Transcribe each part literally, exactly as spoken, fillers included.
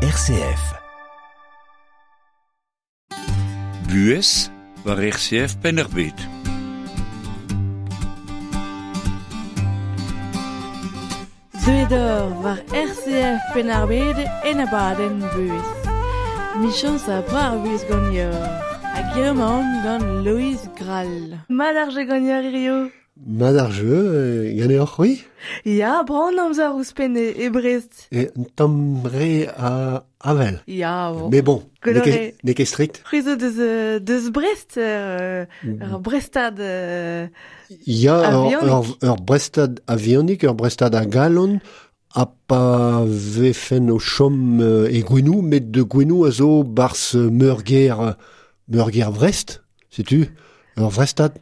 R C F. Buhez war R C F Penn-ar-Bed. Deuet war R C F Penn-ar-Bed en abadenn Buhez. Michans a bra ar buhez ganeoch. Hag hiziv gant Loïz Grall. Mat ar jeu ganeoc'h hiziv? Mat ar jeu, ganeoc'h c'hwi? Ya, brav amzer ouzhpenn e Brest. E un tamm re a avel. Ya, bon. Mais bon, n'eo ket, n'eo ket strict. C'hwi zo deus, deus Brest, euh, ur Brestad euh, Ya, ur, ur, ur Brestad avionik, ur Brestad a galon, a pa vefen o chom e Gouenou, met de Gouenou a zo barz meurgêr, meurgêr Brest, setu, ur Brestad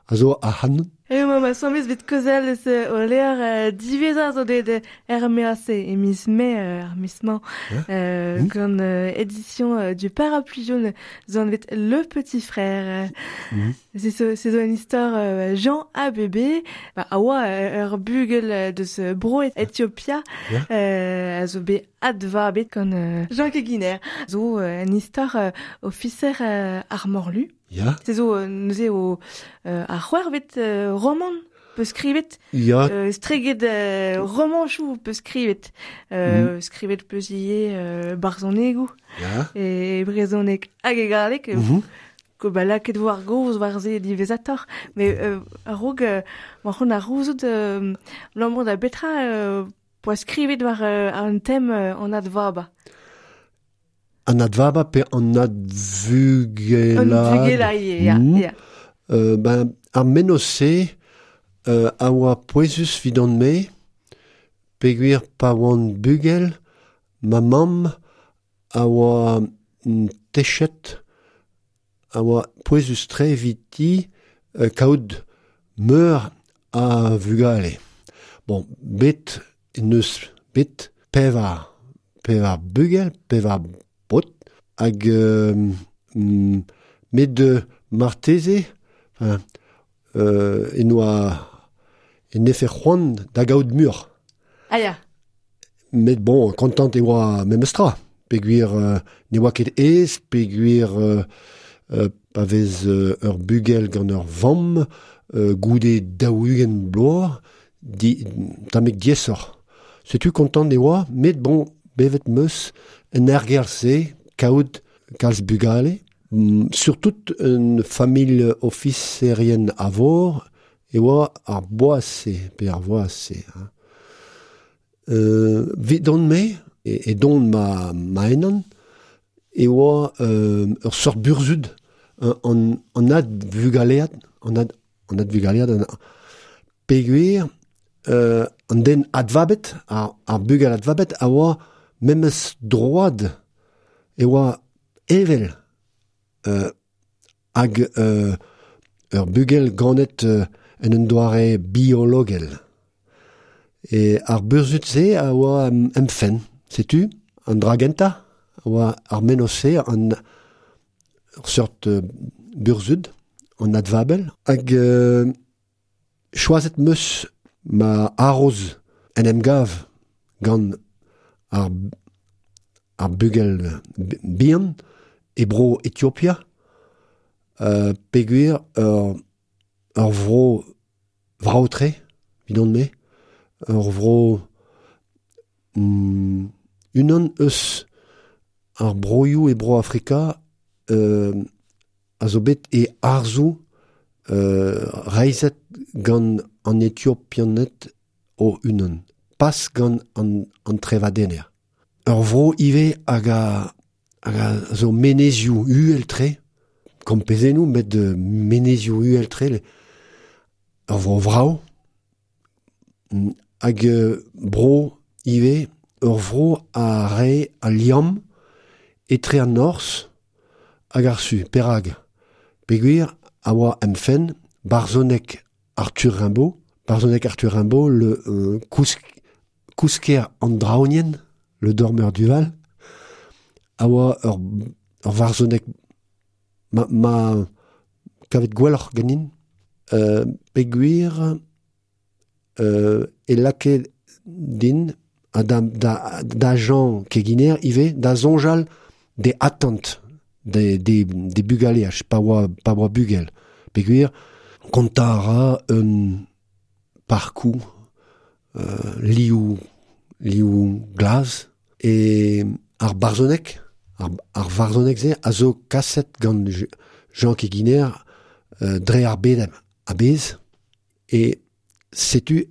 a zo a han. E ma ma soñvez bet kaozeal eus o levr diwezhañ zo bet er M A C e miz Mae ar miz-mañ euh, gant édition du Parapluie jaune zo anvet Le Petit Frère. C'est zo, c'est zo un istor Jean A B B ba a oa ur bugel deus bro Ethiopia a zo bet adva bet gant Jean Keguiner zo un istor ofiser ar morlu. Ya. C'est zo neuze o ar c'hwervet roman peus skrivet. Ya. Euh, streget euh, romanchoù peus skrivet. Euh, mm. Skrivet peus ivez euh, barzhonegoù. Ya. E brezhoneg hag e galleg. Mm -hmm. Ko ba lakaet vo ar gaoz war se diwezhatoc'h. Mais euh, a-raok euh, ma c'hont ar rouzout euh, lamour da betra euh, poa skrivet war euh, an tem euh, an advaba. An advaba pe an advugela. An advugela ivez, ya. Mm. Ya. Euh, ben, ar mennozh-se euh, a oa pouezus 'vidon-me, peogwir pa oan bugel, ma mamm a oa techet, a oa pouezus-tre eviti euh, kaout meur a vugale. Bon, bet neus bet pevar, pevar bugel, pevar bot, hag euh, mm, met de marteze, enfin, euh, en oa en efe c'hoant da gaout mur. Ah ya. Met bon, kontant e oa memestra, peogwir euh, ne oa ket aes, peogwir euh, euh, pa vez euh, ur bugel gant ur vamm, euh, goude daou-ugent bloaz, di, tammig diaesoc'h. Setu kontant e oa, met bon, bevet meus en ergerzh-se, kaout kalz bugale, mm, surtout un familh ofiserien a vor, e oa ar boaz-se, pe ar voaz-se. Hein. Euh, 'vidon-me, e, e don ma, ma enan, e oa euh, ur seurt burzhud, an, an advugalead, an ad, an advugalead, an, peogwir, euh, an den advabet, ar, ar bugel advabet, a oa memes droad, e oa evel euh, hag euh, ur bugel ganet euh, en un doare biologel. E ar burzhud-se a oa em, em fenn, setu, an dra gentañ, a oa ar mennozh-se, an ur seurt euh, burzhud, an advabel, hag euh, choazet meus ma haroz en em gav gant ar, ar bugel bihan e bro Ethiopia, euh, peogwir ur, ur vro vrav-tre, 'vidon-me, ur vro mm, unan eus ar broioù e bro Afrika euh, a zo bet e arzoù euh, reizhet gant an Ethiopianed o unan, pas gant an, an trevadenner. Ur vro ivez hag a, hag a zo menezioù uhel-tre, kompezennoù, met menezioù uhel-tre, ur vro vrav, hag bro ivez, ur vro a rae al liamm etre an norzh hag ar su, perag. Peogwir a oa em fenn barzhoneg Arthur Rimbaud, barzhoneg Arthur Rimbaud, le euh, kousk, kousker an draoñienn, le dormeur du Val, a oa ur, ur varzhoneg ma, ma kavet gwelloc'h ganin, euh, peogwir euh, e lakae din ha da, da, da Jean Keginer ive, da zonjal de attente de, de, de bugaleaj, pa oa, pa oa bugel. Peogwir, kontañ a ra un parkoù euh, liou, liou glaz, e ar barzhoneg, ar, ar varzhoneg-se a zo kaset gant Jean Keginer euh, dre ar bed a-bezh, e setu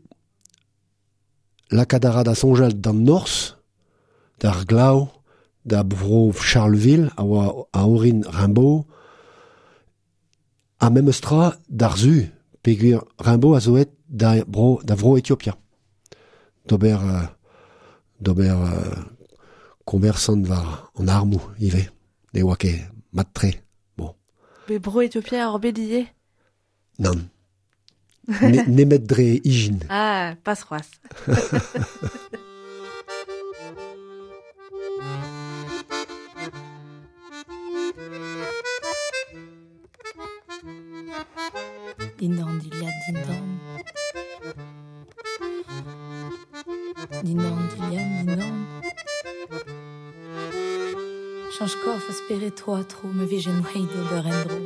lakaat a ra da soñjal d'an norzh, d'ar glav, da bro Charleville, a oa a orin Rimbaud, ha memes tra d'ar zu, peogwir Rimbaud a zo aet da bro, da vro Etiopia. D'ober, euh, d'ober euh, koñversant war an armoù ivez. Ne oa ket mat-tre. Bon. Be bro Etiopia ar bet ivez? Nann. Ne, nemet dre ijin. Ah, pas c'hoazh. Dindan dilhad dindan. Dindan dilhad dindan. Change korf a spere toi tro, me vijen wei d'ober endro.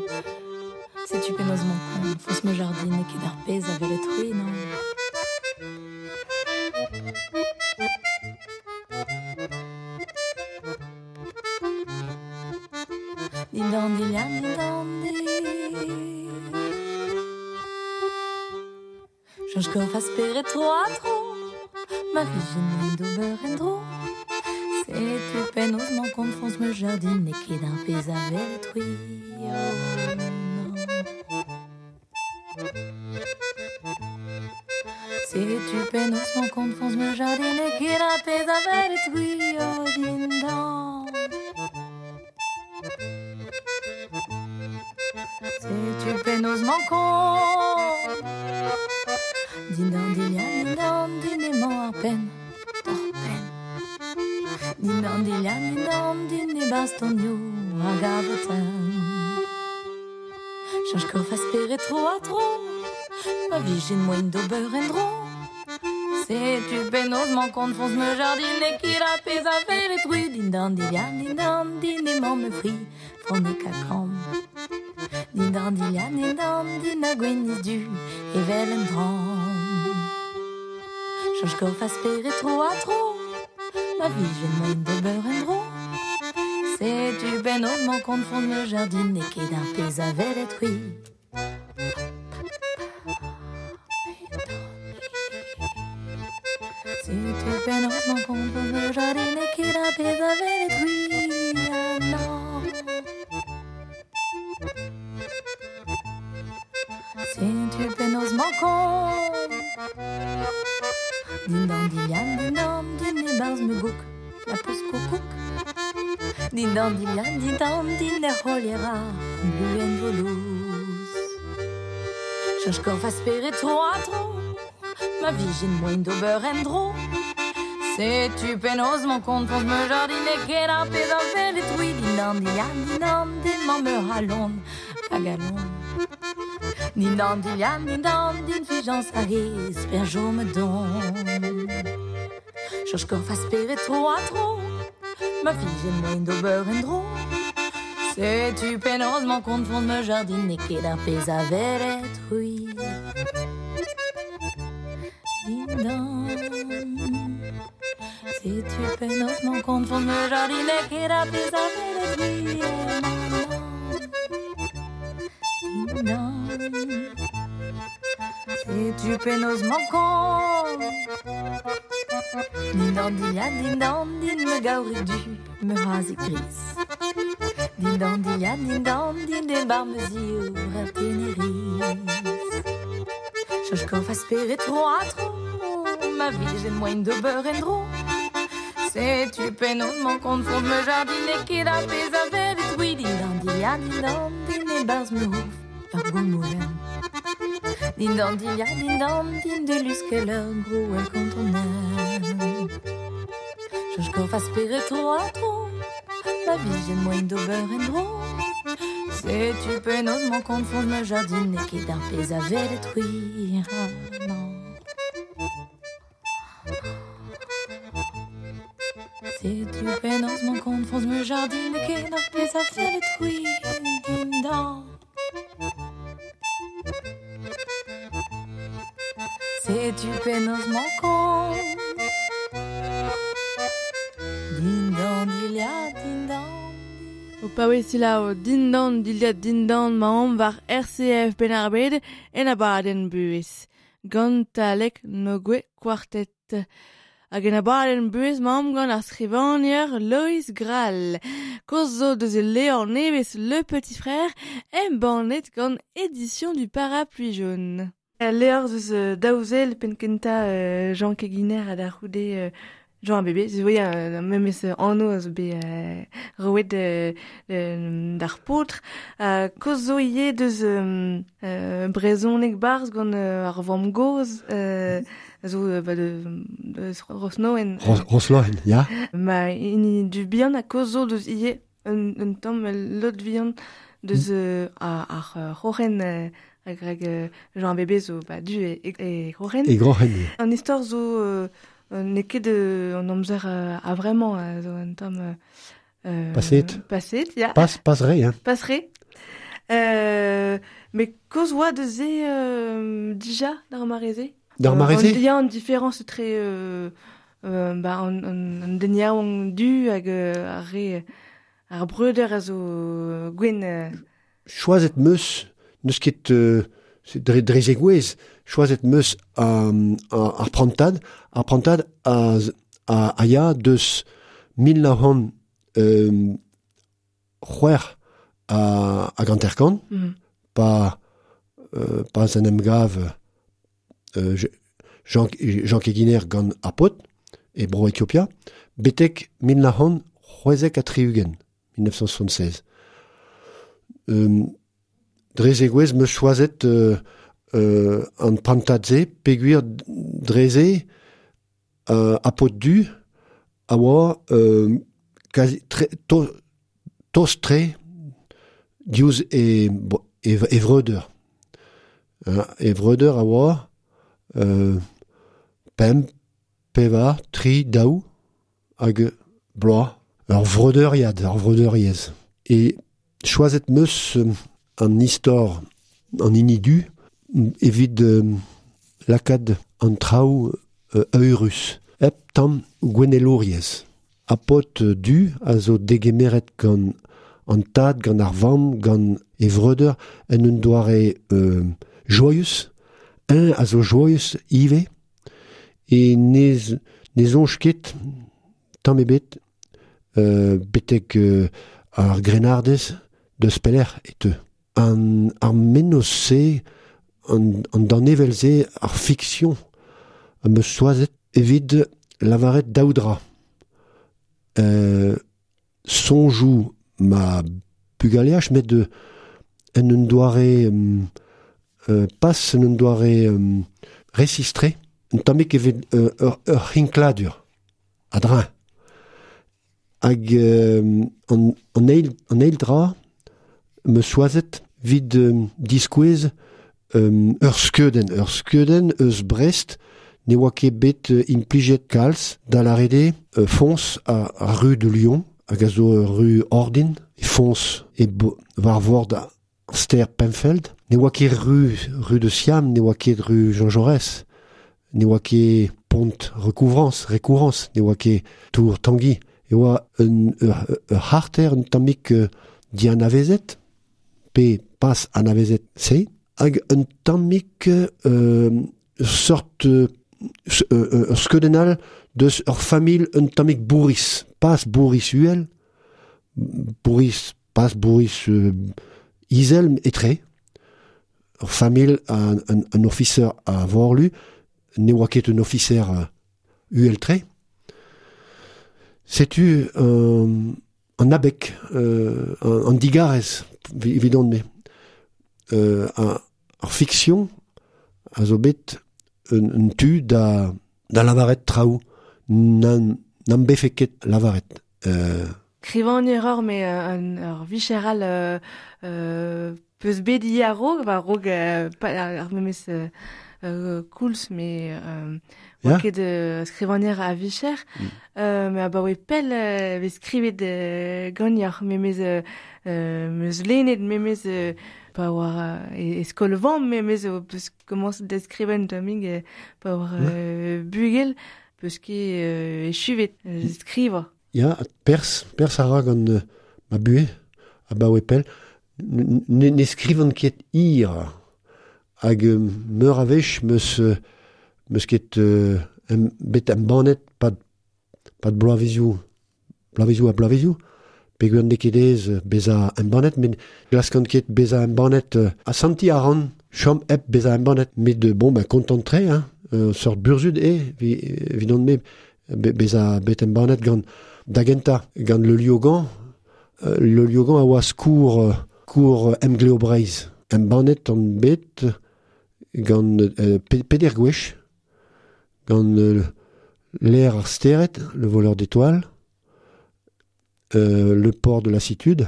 Setu penaos man kont, foñs ma jardin e ket ar pezh a welet c'hwi, non. Dindan dilhad dindan di. Change korf a spere tro tro, ma vijen wei d'ober endro. Setu penaos man kont, foñs ma jardin e ket ar pezh a welet c'hwi, oh non. Setu penaos man kont, foñs ma jardin e ket ar pezh a welet c'hwi, oh dindan. Setu penaos man kont. Dindan dilhad dindan din emañ ar penn, d'ar penn. Dindan dilhad dindan din e-barzh tonioù hag avotenn. Change korf a spere tro ha tro, ma vijen moaien d'ober endro. Setu penaos man kont, foñs ma jardin e ket ar pezh a welet c'hwi. Dindan dilhad dindan din emañ ma fri, fraonek ha kamm. Dindan dilhad dindan din ha gwinizh du evel un dramm. Change korf a spere tro ha tro, ma vijen moaien d'ober endro. Setu penaos man kont, foñs ma jardin e ket ar pezh a welet c'hwi. Setu penaos man kont, foñs ma jardin e ket ar pezh a welet c'hwi, ah non. Setu penaos man kont. Dindan dilhad dindan din e-barzh ma gouk, la peus koukouk. Dindan dilhad dindan din er c'holier ar bluenn volouz. Change korf a spere tro ha tro, ma vijen moaien d'ober endro. Setu penaos man kont, foñs ma jardin e ket ar pezh a welet c'hwi. Dindan dilhad dindan din emañ ma c'halon hag alon. Dindan dilhad dindan din fijañs hag esper chom don. Change korf a spere tro ha tro, ma vijen moaien d'ober endro. Setu penaos man kont, foñs ma jardin e ket ar pezh a welet c'hwi. Dindan. Setu penaos man kont, foñs ma jardin e ket ar pezh a welet c'hwi. Dindan. Setu penaos man kont. Dindan dilhad dindan din ma gaorig du, ma c'hazig gris. Dindan dilhad dindan din e-barzh ma ziv ar teneriz. Change korf a spere tro ha tro, ma vijen moaien d'ober endro. Setu penaos man kont, foñs ma jardin e ket ar pezh a welet c'hwi. Dindan dilhad dindan din e-barzh ma c'hof ur goumoulenn. Dindan dilhad dindan din de luskeller grouell kantonell. Change korf a spere tro ha tro, ma vijen moaien d'ober endro. Setu penaos man kont, foñs ma jardin e ket ar pezh a welet c'hwi, ah non. Setu penaos man kont forzh me jardin ken ar pezh a fell c'hwi dindan. Setu penaos man kont dindan dilhad dindan. O paouez selaou dindan dilhad dindan maomp war R C F Penn-ar-Bed en abadenn buhez. Gant Talek Nogue Quartet. Hag en abadenn buhez maomp gant ar skrivagner Loïs Grall. Koz zo deus e levr nevez Le Petit Frère embannet gant Édition du Parapluie Jaune. Levr deus daouzel penn kentañ Jean Keginer ha da c'houde Jean Bébé, ze voe euh, memes anv a zo bet euh, roet euh, d'ar paotr. Euh, koz zo ivez deus euh, euh, brezhoneg barzh gant euh, ar vamm-gozh euh, zo euh, ba de, deus Rosnoen. Ros, Rosloen, ya. Ma hini du bihan a koz zo deus ivez un, un tamm lot vihan deus euh, ar, ar c'horren euh, hag hag euh, Jean Bébé zo ba du e, e, e c'horren. E groc'hen. An istor zo euh, n'eo ket an amzer euh, a vraiment euh, zo un tamm euh, Paset. Paset, ya. Pas, pas re, hein. Pas re. Euh, mais koz oa deus e euh, dija d'ar mareze? D'ar mareze? Il y a une différence très euh, euh, bah, an, an, an den yaouank du hag euh, ar re ar breuder a zo gwenn. Euh. Choazet meus, n'eus ket euh, dre, dre zegouez, choazet meus um, ar prantad, ar prantad a, a, a ya deus mil nav c'hant euh, c'hwec'h a, a ganterkant, mm. pa, euh, pas an emgav euh, Jean, Jean Keginer gant ar paotr e bro Ethiopia, betek mil nav c'hant c'hwezek ha tri-ugent, mille neuf cent soixante-seize. Euh, dre zegouez meus choazet euh, euh, an prantad-se, peogwir dreze euh, a paotr du a oa euh, quasi tre, to, tost-tre diouzh e, e, e vreudeur. Hein, e vreudeur a oa euh, pemp, pevar, tri, daou hag bloaz. Ur vreudeuriad, ur vreudeuriezh. E choazet meus an istor an hini du evit euh, lakaat an traoù euh, eurus. Hep tamm gouennelouriezh. A paotr du a zo degemeret gant an tad, gant ar vamm, gant e vreudeur en un doare euh, joyeux. Un a zo joyeux ivez e ne, ne soñj ket tamm ebet euh, betek euh, ar grennardez deus pelec'h e teu. An, ar mennozh-se, an, an danevel-se, ar fiction am eus choazet evit lavaret daou dra. Euh, soñjoù ma bugaleaj, met de, en un doare euh, pas en un doare euh, resistre, un tammig evit euh, ur, ur c'hinkladur, a-dreñv. Hag euh, an, an eil, an eil dra me choazet vid euh, diskouez euh, ur skeudenn, ur skeudenn eus Brest ne oa ket bet euh, implijet kalz da lâret euh, foñs a, a rue de Lyon, hag a zo ur rue ordin, e foñs e bo, war vord ar stêr Penfeld. Ne oa ket rue, rue de Siam, ne oa ket rue Jean Jaurès, ne oa ket pont Recouvrance, Recouvrance, ne oa ket tour Tanguy. E oa un, ur, ur c'harter un tammig euh, dianavezet, pe pas anavezet se, hag un tammig euh, sort euh, ur skeudenn all deus ur familh un tammig bourris, pas bourris uhel, bourris, pas bourris euh, izel etre, ur familh un, un, un ofiser a vorlu, ne oa ket un ofiser euh, uhel-tre. Setu euh, an abeg, euh, an, an digarez, evidon-me. Euh, ar, ar fiction a zo bet un, un tu da, da lavaret traoù nan, n'am befe ket lavaret. Euh, Skrivagner ur, met un, ur vicher all euh, euh, peus bet ivez a-raok, ba a-raok euh, pa, ar memes euh, euh, koulz, me euh, oa ket euh, skrivanier a vicher, mm. euh, me a baoe pell euh, vez skrivet euh, gagnoc'h, me mez euh, euh, meus lennet, me mez euh, pa war e, e skol vamm, me mez o peus komañs da skriven tammig euh, pa war euh, bugel, peus ket euh, echuvet, euh, skriva. Ya, pers, pers a ra gant euh, ma buhe, a baoe pell, ne, ne skrivan ket ir hag meur a wech meus, meus ket euh, em, bet embannet pad, pad bloavezioù, bloavezioù ha bloavezioù, peogwir n'eo ket aes bezañ embannet, met glaskan ket bezañ embannet euh, a santi a ran chom hep bezañ embannet, met de, bon, ben, content-tre, hein, euh, sort burzhud eo, vi, evidon me, be, bezañ bet embannet gant da gentañ, gant le Liogan, euh, le Liogan a oa skourr euh, kour Emgleo Breizh. Embannet an bet gant euh, peder gwech, gant euh, l'air ar stered, le voleur d'étoiles, euh, le port de lassitude,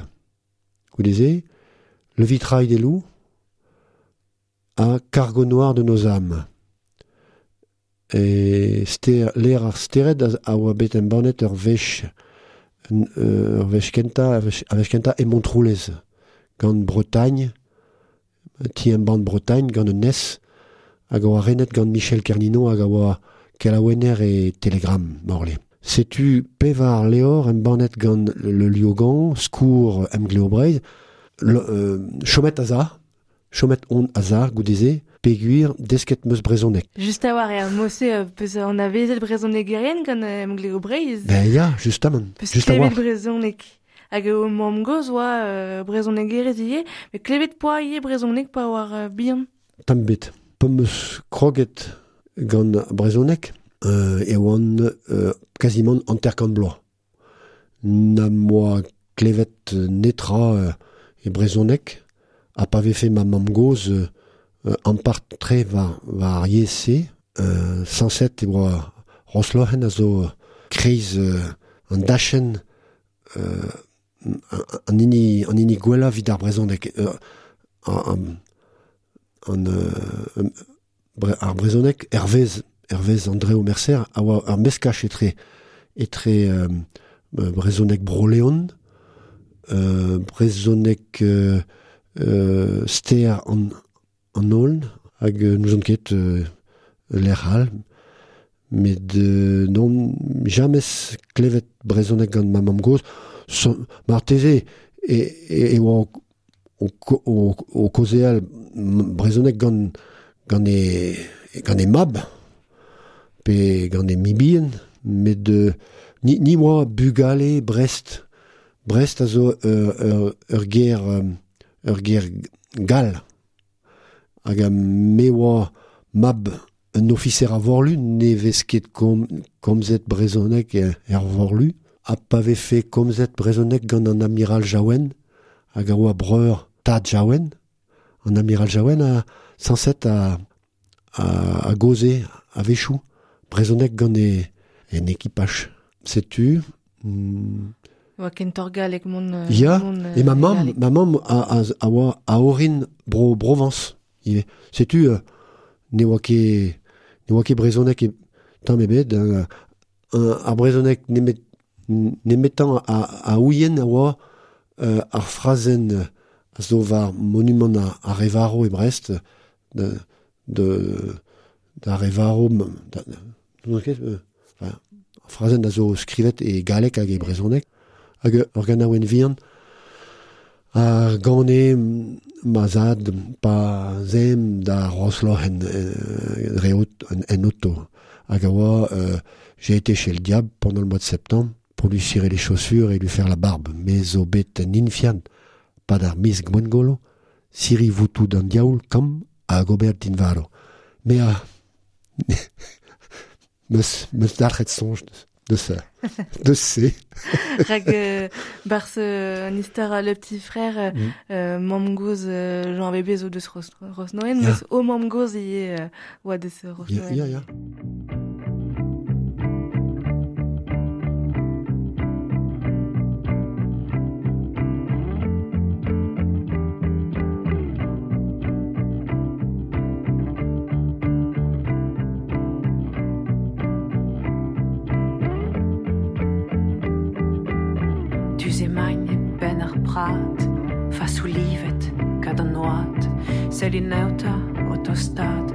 goudeze, le vitrail des loups, ha cargo noir de nos âmes. E ster, l'air ar stered a, a oa bet embannet ur wech, ur wech kentañ, a wech kentañ e Montroulez, gant Bretagne, ti embann Bretagne, gant un nes, hag a oa renet gant Michel Kernino hag a oa kelaouenner e Telegram, morle. Setu pevar leor embannet gant le Liogan, skourr Emgleo Breizh, le, euh, chomet aza, chomet on aza, goudeze, peogwir desket meus brezhoneg. Just a war eo mose euh, peus an avezet brezhonegerien gant Emgleo Breizh. Ben ya, justement. Peus just a klevet war. brezhoneg. Hag o mamm-gozh oa euh, brezhonegerez ivez, met klevet poa ivez brezhoneg pa war euh, bihan. Tamm bet. Pa meus kroget gant brezhoneg, euh, e oan euh, quasiment hanter-kant bloaz. Na moa klevet netra euh, e brezhoneg, ha pa vefe ma mamm-gozh euh, ampart-tre war, war ar yezh-se, euh, sañset e oa Roslohen a zo kreiz euh, an dachenn euh, an hini, an hini gwellañ evit ar brezhoneg. Euh, an, an, euh, bre, ar brezhoneg hervez, hervez André Mercer a oa ur meskaj etre, etre euh, brezhoneg Bro-Leon, euh, brezhoneg euh, euh, ster an, an Aulne, hag euh, n'ouzon ket euh, lec'h all, met euh, non jamez klevet brezhoneg gant ma mamm-gozh, so, marteze e, e, e oa o, o, o kaozeal brezhoneg gant, gant e, gant e mab, pe gant e mibien, met euh, ni, ni oa bugale Brest. Brest a zo ur, ur, ur ger, ur ger gall. Hag a me oa mab un ofiser a vorlu, ne vez ket kom, komzet brezhoneg er vorlu, ha pa vefe komzet brezhoneg gant an amiral Jaouen, hag a oa breur tad Jaouen, an amiral Jaouen a sañset a, a, a goze a wechoù brezhoneg gant e, en ekipaj. Setu... Mm, Oa kentoc'h galleg mont... Euh, ya, mont, euh, e ma mamm, galleg. ma mamm a, a, a oa a orin bro Provence ivez. Setu, euh, ne oa ket, ne oa ket brezhoneg e tamm ebet, euh, ar brezhoneg nemet, nemetañ a, a ouien a oa euh, ar frazenn a zo war monumant a, a Revaro e Brest, de, de, da Revaro, da, da, ket, euh, enfin, ar frazenn a zo skrivet e galleg hag e brezhoneg, hag ur ganaouenn vihan a gane ma zad pa zem da Roslohen euh, dre en, en auto. Hag a oa, euh, j'ai été chez le diable pendant le mois de septembre pour lui cirer les chaussures et lui faire la barbe. Me zo bet en infian, pad ar miz gwengolo, siri voutou d'an diaoul kam a gober dinvaro. Me a... meus, meus dalc'het soñj de ça. De se. Rag euh, barz euh, an istor le petit frère euh, mm. euh, mamm-gozh euh, Jean Bébé zo deus Ros, Rosnoen, yeah. meus o mamm-gozh ivez euh, oa deus Rosnoen. Ya, ya, ya. Duze main e ben ar prat, fasou livet kad an oad, sell neuta o tostat,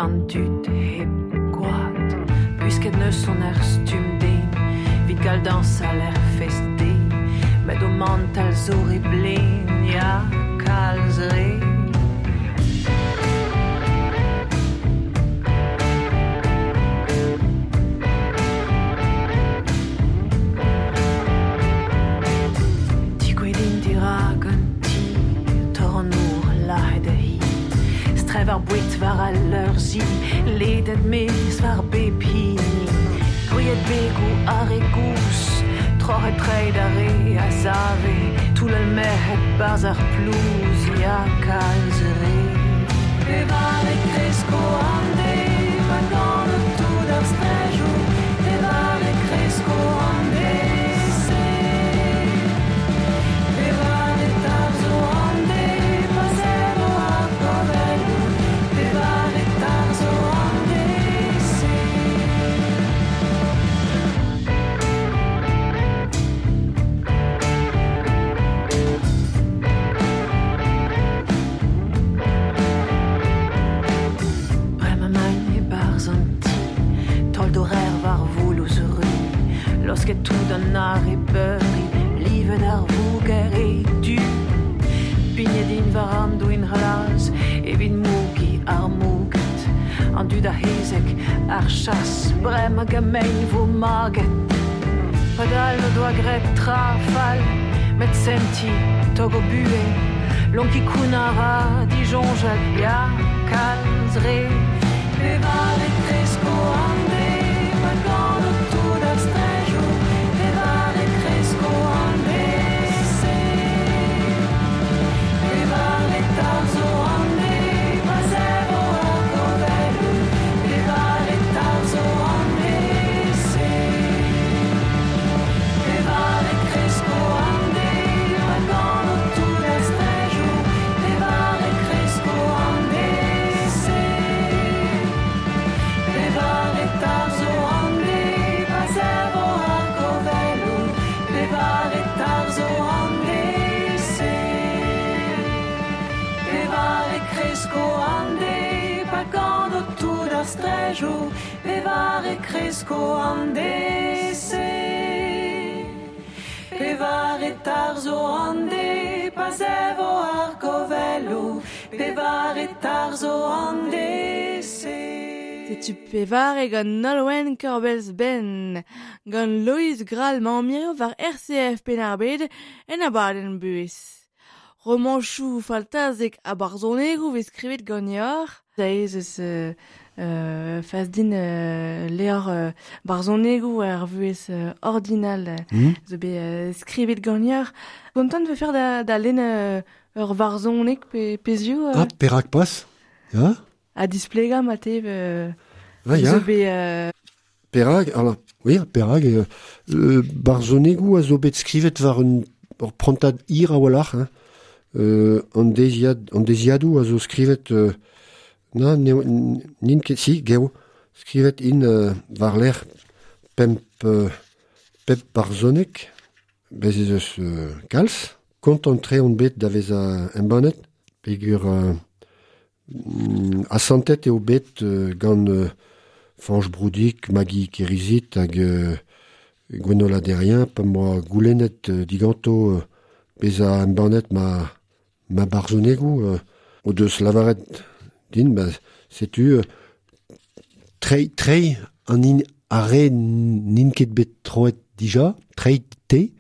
an dud hep gwad. Puisket neus son er stum den, vid gal dansal er fest de, met o mantal zo re blen, ya kalz re. Strev ar bouet war al leur zi, ledet mez war bep hini. Gwriet begou ar e gous, troc'het treid ar re a zave, toull al merc'hed barz ar plouz, ya kalz re. Pevar e kresko an de, pa gant tout ar strejou, pevar e kresko an de, se. Pevar e tarzo an de, pa zevo ar govelou, pevar e tarzo an de, se. Brema main e barz an ti, tol d'horaire war voulouz ru, losket tout an ar e beuri, livet ar vouger e du. Pignet in war an douin c'hlaz, evit mougi ar mouget, an dud a hezek ar chas, brema gamein vo maget. Padal o doa gret tra fall, met senti tog o bue, lonki koun a ra dijonjat, ya kalz re. Pevar e kresko an de, pa gant o tout ar strejou, pevar e kresko an de, se. Pevar e tarzo an de, pa zevo ar govelou, pevar e tarzo an de, se. Pevar e kresko an de, pa gant o tout ar strejou, pevar e kresko an de, se. Pevar e tarzo an de, pa zevo ar govelou, pevar e tarzo an de, se. Pevar e kresko an de, pa gant o tout ar strejou, pevar e kresko an de, se. Pevar e tarzo an de, pa zevo ar govelou, pevar e tarzo an de, se. Setu pevar e gant Nolwenn Korbell's Ben, gant Loïs Gral mañ war R C F Penn-ar-Bed en abadenn buhez. Romanchou faltazek a barzhonegoù vez skrivet ganeoc'h. Da ez eus euh, euh, fas din euh, levr euh, barzhonegoù ar vuhez euh, ordinal euh, Mm. zo bet euh, skrivet ganeoc'h. Kontant ve faire da, da lenn euh, ur varzhoneg pe, pezioù euh, Ah, perak pas? Ya? a displega ma te euh, Ah, ya. zo bet euh, Perak, alors, oui, perak, euh, euh, barzhonegoù a zo bet skrivet war un ur prantad hir a-walc'h, hein. Euh, an deiziad, an deiziadoù a zo skrivet, euh, na, ne, n'int ket, si, geo, skrivet in euh, war lec'h pemp, euh, pep barzhoneg, bez ez eus euh, kalz, kontant tre on bet da veza embannet, peogwir euh, mm, asantet eo bet euh, gant euh, Fañch Broudic, Maggie Kerizit hag euh, Gwenola Derrien, pa moa goulennet euh, diganto euh, beza embannet ma, ma barzhonegoù, euh, o deus lavaret din, ba, setu euh, trei, trei an in ar re n'int ket bet troet dija, trei te,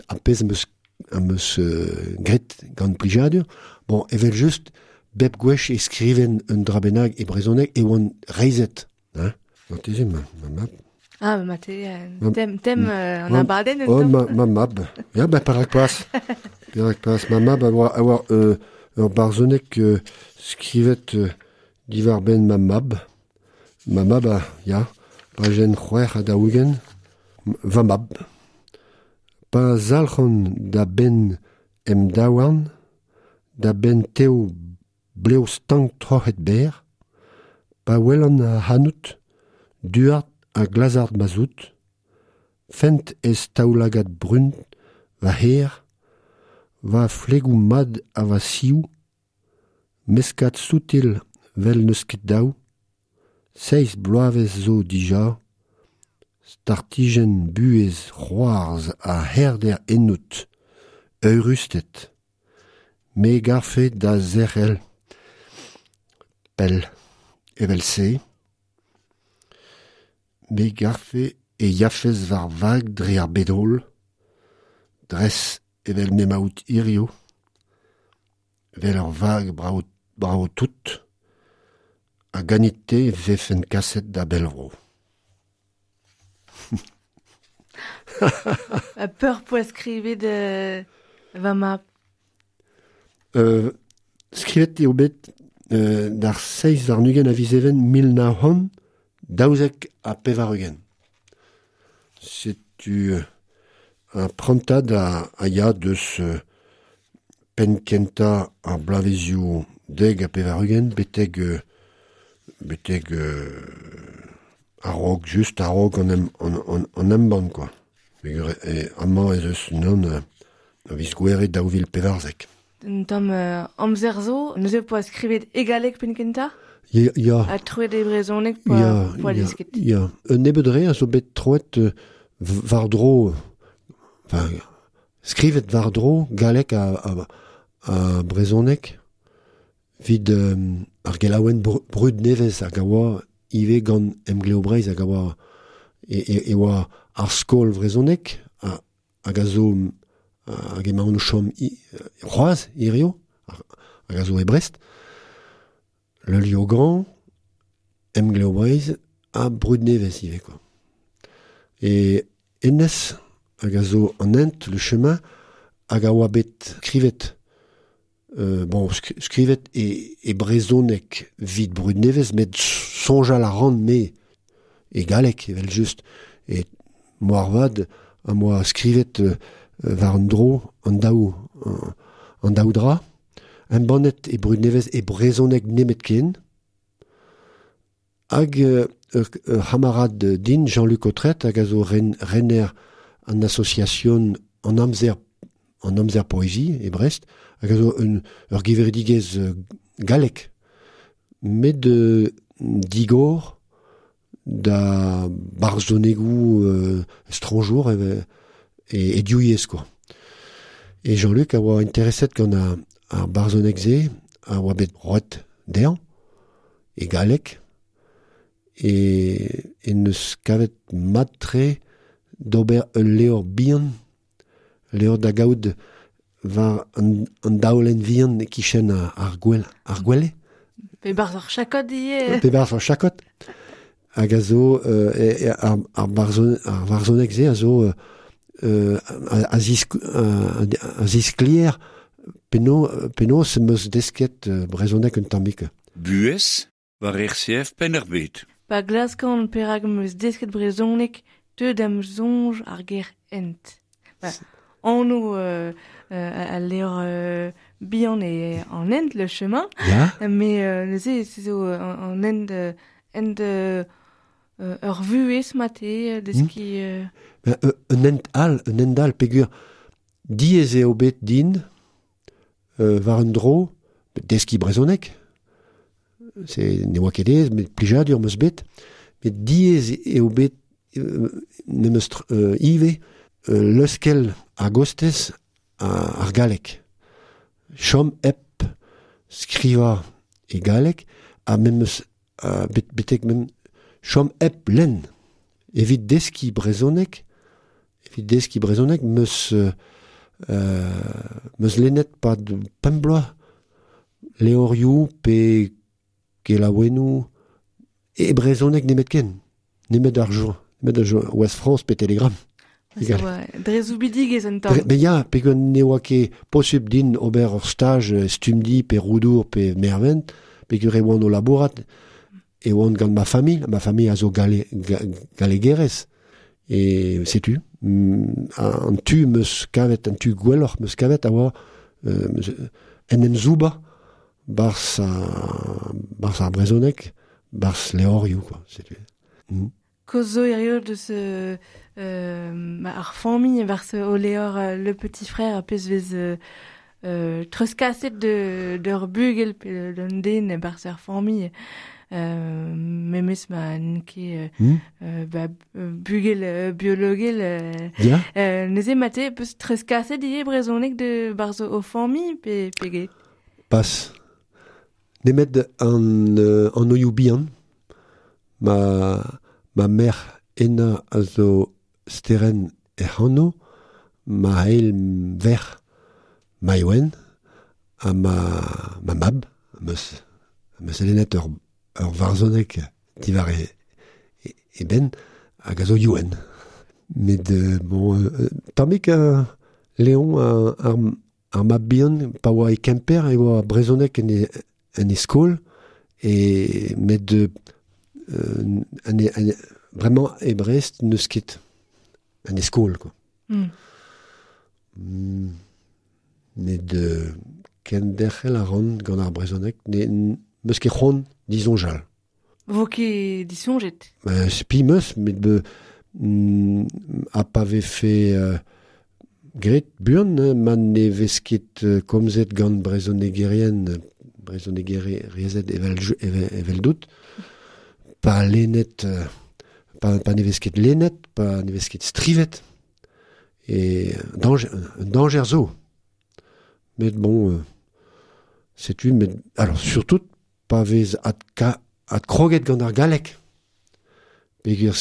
ar pezh am eus, am eus euh, gret gant plijadur. Bon, evel just, bep gwech e skriven un dra bennak e brezhoneg e oan reizet, hein. Marteze, ma, ma mab. Ah, ma te, euh, Ma- tem, tem euh, an Ma- abadenn un Oh, tamm. ma, ma mab. Ya, ben, perak pas. Perak pas. Ma mab a oa, a oa euh, ur barzhoneg euh, skrivet euh, diwar benn ma mab. Ma mab a, ya, pajenn c'hwec'h ha daou-ugent. Va mab. Pa zalc'han da benn em daouarn, da benn tev blev stank troc'het berr, pa welan a hanout, duard ha glazard ma zout, fent ez taoulagad brun va her, va flegou mad a va siou, meskat soutil vel neus ket daou, seiz bloavezh zo dija, startijenn buhez c'hoarzh a herder ennout, eurusted, me garfe da zerc'hel, pell, evel-se, me garfe e yafez war vag dre ar bedol, dres evel m'emaout hirio, vel ur vag brao, brao tout, a ganit-te vefen kaset da bellvro. A peur poa skrivet euh, va mab. Euh, skrivet eo bet euh, d'ar seiz warn-ugent a viz even mil nav c'hant daouzek ha pevar-ugent. Setu un prantad a, a ya deus euh, penn kentañ ar bloavezioù deg ha pevar-ugent betek euh, betek euh, a-raok, just a-raok an em, an, an, an embann, quoi. Peogwir e amañ ez eus unan euh, a viz gouere daou vil pevarzek. Un tamm euh, amzer zo, neuze poa skrivet e galleg penn kentañ? Ya, ya. Ha troet e brezhoneg poa, Ya, poa ya, desket. ya. Un nebeud re a zo bet troet euh, war-dro, enfin, skrivet war-dro galleg a, a, a brezhoneg vid euh, ar gelaouenn br- brud nevez hag a oa ivez gant Emgleo Breizh hag a oa e, e, e oa ar skol vrezhoneg a, hag a zo hag emaon o chom c'hoazh hirio hag a zo e Brest, Le Liogan, Emgleo Breizh ha brud nevez ivez, quoi. E hennezh hag a zo an hent, le chemin, hag a oa bet skrivet euh, bon, sk- skrivet e, e brezhoneg vid brud nevez, met soñjal a ran me e galleg, evel just. E moarvat am boa skrivet euh, war an dro, an daou, an daou dra, embannet e brud nevez e brezhoneg nemetken, hag euh, ur, ur c'hamarad din, Jean-Luc Autret, hag a zo ren, renner an association an amzer, an amzer poésie e Brest, hag a zo un, ur gevredigezh euh, gallek, met euh, digor da barzhonegoù euh, estranjour e, e, e diouyez, quoi. E Jean-Luc a oa intereset gant ar, ar barzhoneg-se, a oa bet roet dezhañ, e galleg, e, e neus kavet mat-tre d'ober ul levr bihan, levr da gaout war an, an daolenn vihan e-kichen ar, ar gwel, ar gwele. Pe barzh ar chakod ivez. Pe barzh ar chakod. Hag a zo, euh, e, e, ar, ar, barzhon, ar varzhoneg-se a zo euh, a, a, zisk, a, a zisklier peno, penaos em eus desket euh, brezhoneg un tammig. Buhez war R C F Penn-ar-Bed. Pa glaskan perak em eus desket brezhoneg teu da'm soñj ar ger hent. Ba, anv euh, euh, al levr euh, bihan e an hent, le chemin. Ya. Mais euh, neuze se zo an, an hent, euh, hent euh, ur vuhez mate, deski... Euh... Ben, un hent all, un hent all, peogwir diaes eo bet din euh, war un dro, deski brezhoneg, se ne oa ket aes, met plijadur 'm eus bet, met diaes eo bet euh, memes euh, ivez euh, leuskel a-gostez ar galleg. Chom hep skrivañ e galleg, ha memes uh, bet, betek mem chom hep lenn. Evit deski brezhoneg, evit deski brezhoneg, meus euh, meus lennet pad pemp bloaz levrioù pe kelaouennoù e brezhoneg nemetken, nemet ar jour, nemet ar jour, Ouest France pe Telegram. Dre zoubidigezh un tamm. Mais ya, peogwir ne oa ket posubl din ober ur staj Stumdi pe Roudour pe Mervent, peogwir e oan o labourat, e oan gant ma familh, ma familh a zo gale, ga, gallegerez. E setu, an tu meus kavet, an tu gwelloc'h meus kavet a oa euh, en em zouba barzh ar, barzh ar brezhoneg, barzh levrioù, quoi, setu. Mm. Kozo hirio deus euh, euh, ar famille war se o leor euh, Le Petit Frère a pez vez euh, euh, treuzkaset de d'ur bugel pe d'un den bar ar famille euh, memes ma n'ket euh, Hmm? euh, ba, bugel euh, biologel euh, Ya? euh, neuze mate peus treuzkaset ivez brezhoneg de bar zo o famille pe pe get. Pas. Nemet an, euh, an oioù bihan, ma, ma mère ena a zo steren ec'hano, ma eil ver maioen, ha ma, ma mab, meus, meus elenet ur, ur varzhoneg diwar e, e, e ben, hag a zo youen. Met, euh, bon, euh, tammik euh, Léon euh, ar, ar mab bihan, pa oa e Kemper, e oa brezhoneg en e, en e skol, e met euh, en e, en e, vraiment e Brest n'eus ket en e skol, quoi. Mm. Mm. Met euh, kenderc'hel a ran gant ar brezhoneg, ne meus ket c'hoant disoñjal. Vo ket disoñjet. Ben, spi meus, met be, mm, a pa vefe euh, gret buan, hein, ma ne vez ket euh, komzet gant brezhonegerien, brezhonegerezed evel, evel, evel dout, pa lennet, euh, pa, pa ne vez ket lennet, pa ne vez ket strivet, e danger, un danger zo. Met bon, euh, setu, met, alors surtout, pa vez ad, ka, ad kroget gant ar galleg, peogwir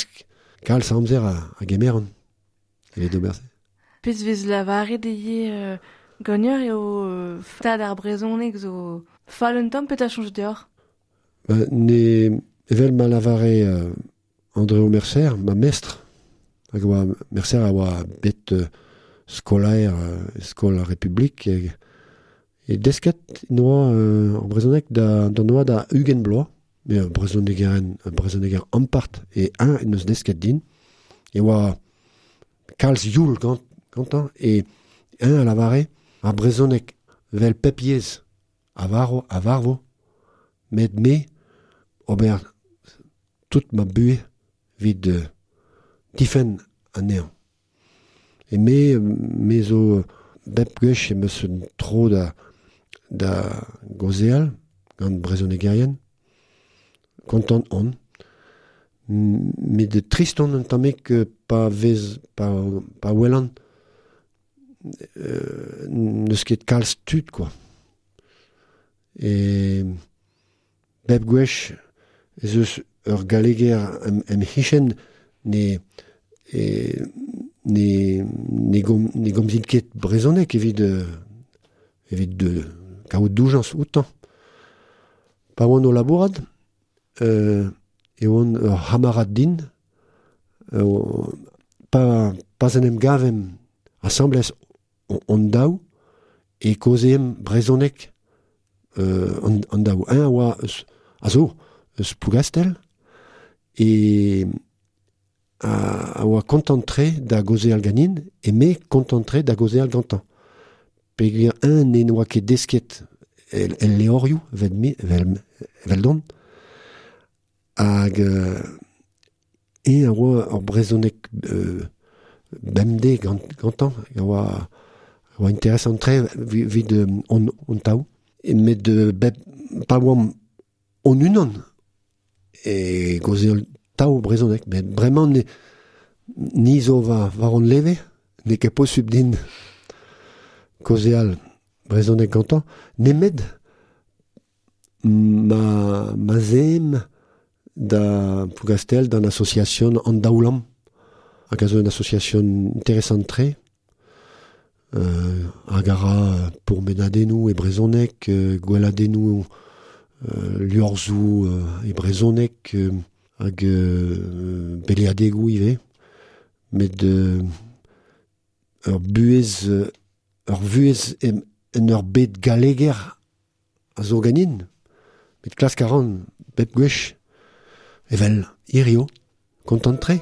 kalz a amzer a, a gemeran. Evit ober se. Pez vez lavaret ivez euh, gagneur eo euh, tad ar brezhoneg zo fall un tamm petra soñj deoc'h? Ba, ne, evel ma lavare euh, André Mercer, ma mestr, hag oa, Mercer a oa bet euh, skolaer euh, skol ar Republik, e, e desket noa euh, ar brezhoneg da, da noa da ugent bloaz, mais un brezhonegeren, un brezhoneger ampart, e un en eus desket din, e oa kalz youl gant, gantañ, e un a lavare ar brezhoneg vel pep yezh a varv, a varvo, met me ober tout ma buhez evit euh, difenn anezhañ. E me, me zo bep gwech em eus un tro da, da gaozeal gant brezhonegerien, kontant on, met de trist on un tammig euh, pa vez, pa, pa welan euh, n'eus ket kalz tud, quoi. E bep gwech ez eus ur galleger em, em c'hichen ne, e, ne, ne, gom, ne gomzin ket brezhoneg evit, euh, evit de, kaout doujañs outañ. Pa oan o labourat, euh, e oan ur c'hamarad din, euh, pa, pas en em gavem asambles on, on daou, e kaozeem brezhoneg euh, an, an daou. Un a oa eus, a zo, eus Plougastel, e a, a oa kontant-tre da gaozeal ganin, e me kontant-tre da gaozeal gantañ. Peogwir un ne n'oa ket desket el, el levrioù, evel me, evel, evel don, hag euh, e a oa ur brezhoneg euh, bemdez gant, gantañ, a oa, a oa interesant-tre evit euh, on, on taou. E met euh, bep, pa oamp on unan e gaozeal taou brezhoneg, met bremañ ne, ni zo war, war on leve, n'eo ket posubl din kaozeal brezhoneg gantañ, nemet ma, ma zem da Plougastel d'an association an Daoulam, hag a zo un association interesant-tre, euh, hag a ra pourmenadennoù e brezhoneg, euh, gweladennoù euh, liorzhoù euh, e brezhoneg, euh, hag euh, beleadegoù ivez, met euh, ur buhez, euh, ur vuhez em, en ur bed galleger a zo ganin, met klask a ran bep gwech, evel hirio, kontant-tre.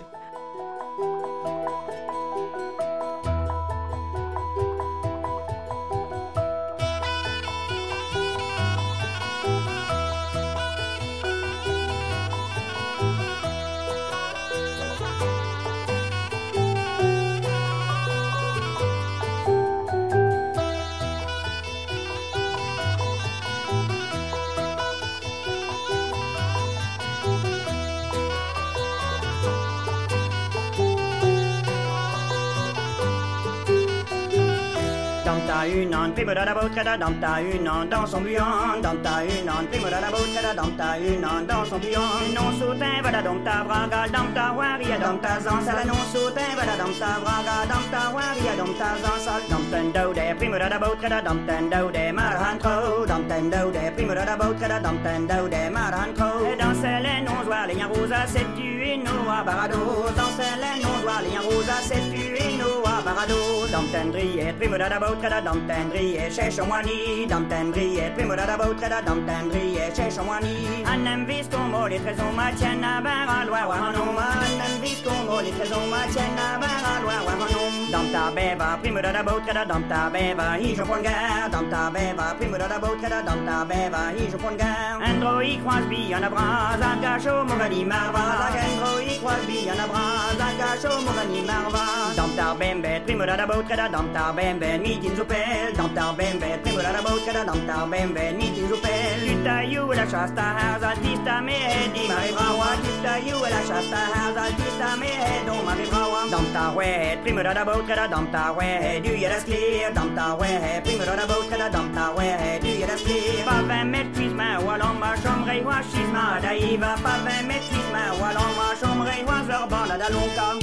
Damta unan, primo da botre da damta unan dans son buan, damta unan, primo da botre da damta unan dans son buan. Non sautin va da damta braga, damta waria, damta zansal, non sautin va da damta braga, damta waria, damta zansal, damten daude, primo da botre da damten daude, marhan tro, damten daude, primo da botre da damten daude, marhan tro. Danse les non zoa, les rosa, c'est tu et no a barado, danse les non zoa, les rosa, c'est tu et no a barado, damten drie, primo da botre da damten drie, chech moani, damten drie, primo da botre da damten drie, chech moani. Anem vis con les trésors ma tienne a bar a loi wahanom, anem vis con les trésors ma tienne a bar a loi wahanom. Damta beva, primo da botre da damta beva, hi je prends garde, damta beva, primo da botre da damta beva, hi je prends garde. Andro i croise bi en abras, a gacho mogani marva, andro i croise bi en abras, a gacho mogani marva. Damta bembe, primo da botre da damta bembe, mitin zupel, damta bembe, primo da botre da damta bembe, mitin zupel. Tutaillou la chasse ta altista me di marivrawa, tutaillou la chasse ta altista me don marivrawa. Damta we, primo da botre da damta we, du ya da sklir, damta we, primo da botre da damta we, du ya da sklir. Pa vingt mètres cuisma, ou alors ma chambre et wa chisma, daiva, pa vingt mètres cuisma, ou alors ma chambre et wa zorban la dalonka.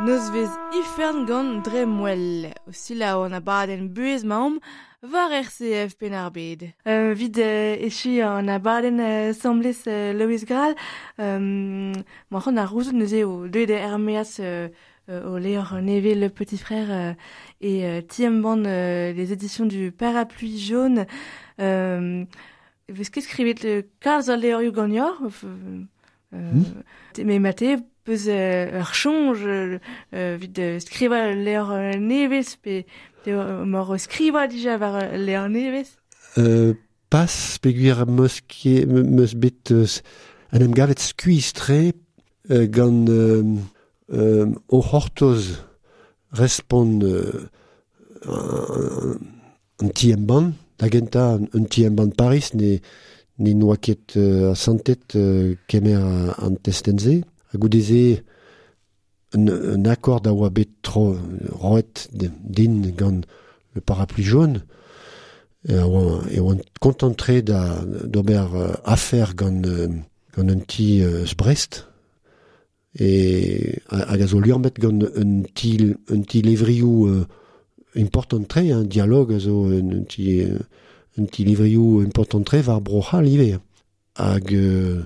Nozvez ifern gant Dremwell, o selaou an abadenn buhez maomp war R C F Penn-ar-Bed. Euh, vid euh, echu an abadenn euh, semblez euh, Loïs Graal, euh, ma c'hant ar rouzout neuze o deuet er meaz euh, euh, o levr nevez Le Petit Frère euh, et euh, ti-embann euh, les éditions du Parapluie Jaune. Euh, Vez ket skrivet le kalz al levrioù ganeoc'h euh, mm. Mais mate peus euh, ur soñj euh, vid euh, skriva levr nevez pe mor skriva dija war levr nevez. Euh, pas peogwir meus ket meus bet euh, an em gavet skuizh-tre euh, gant euh, euh, o c'hortoz respont euh, an ti-embann, da gentañ un ti-embann Paris ne ne noa ket euh, asantet euh, kemer an testenn-se. Ha goude-se un, un akord a oa bet tro roet din gant le Parapluie Jaune e oa, e oan kontant-tre da d'ober euh, afer gant, euh, gant un ti euh, Brest e hag a zo liammet gant un ti, un ti levrioù euh, important-tre, un dialogue a zo un, un ti, un ti levrioù important-tre war Bro-C'hall ivez. Hag euh,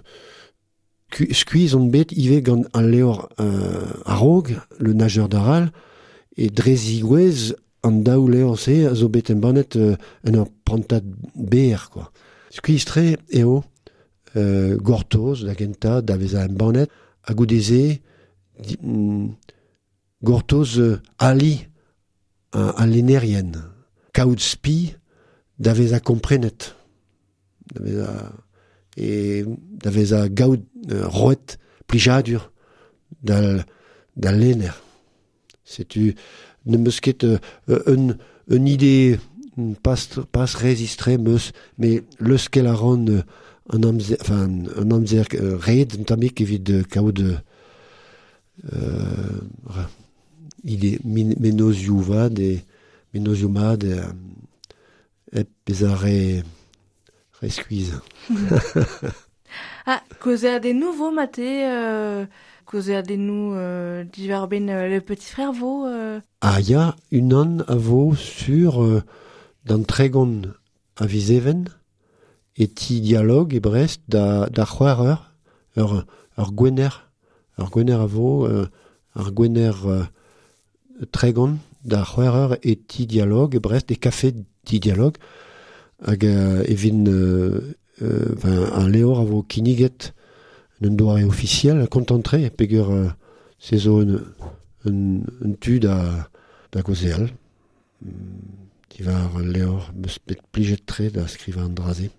skuizh on bet ivez gant al levr euh, a-raok, Le Nageur d'Aral, e dre zigouez an daou levr-se a zo bet embannet euh, en ur prantad ber, quoi. Skuizh-tre eo euh, gortoz da gentañ da vezañ embannet, ha goude-se mm, gortoz euh, ali uh, al lennerien, kaout spi da vezañ komprenet. da veza, e, da veza gaout euh, roet plijadur da, da lenner. Setu ne meus ket euh, un, un ide pas, pas rezistre meus, me leuskel a ran euh, an amzer, enfin, an amzer euh, red un tammik evit euh, kaout euh, ide min, menozioù vad e menozioù mat e, hep bezañ re, re skuizh. Ah, kaozeadennoù de nouveau maté, euh, kaozeadennoù euh, diwar ben euh, le petit frère vo. Euh... Ah ya, unan a vo sur euh, d'an tregont a viz Even e ti dialogue e Brest da, da c'hwec'h eur, ur, ur gwener, ur gwener a vo, euh, ur gwener euh, tregont da c'hwec'h eur e ti dialogue e Brest, e kafe ti dialogue, hag euh, evin euh, euh, enfin, un leor a vo kinniget un doare officiel kontantre peger euh, se zo un, un, un tu da, da gozeal. Diwar leor meus bet plijet tre da skrivañ an draze.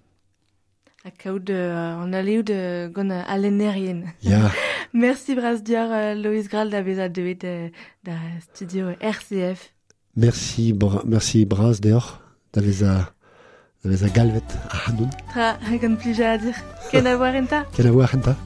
Ha kaout euh, an aleout euh, gant euh, alenerien. Ya. Merci bras dior euh, Loïs Gral da beza deuet euh, da studio R C F. Merci, bra, merci bras deoc'h da veza, da veza galvet ac'hanoun. Tra, gant plijadur. Ken a voar enta. Ken a voar enta.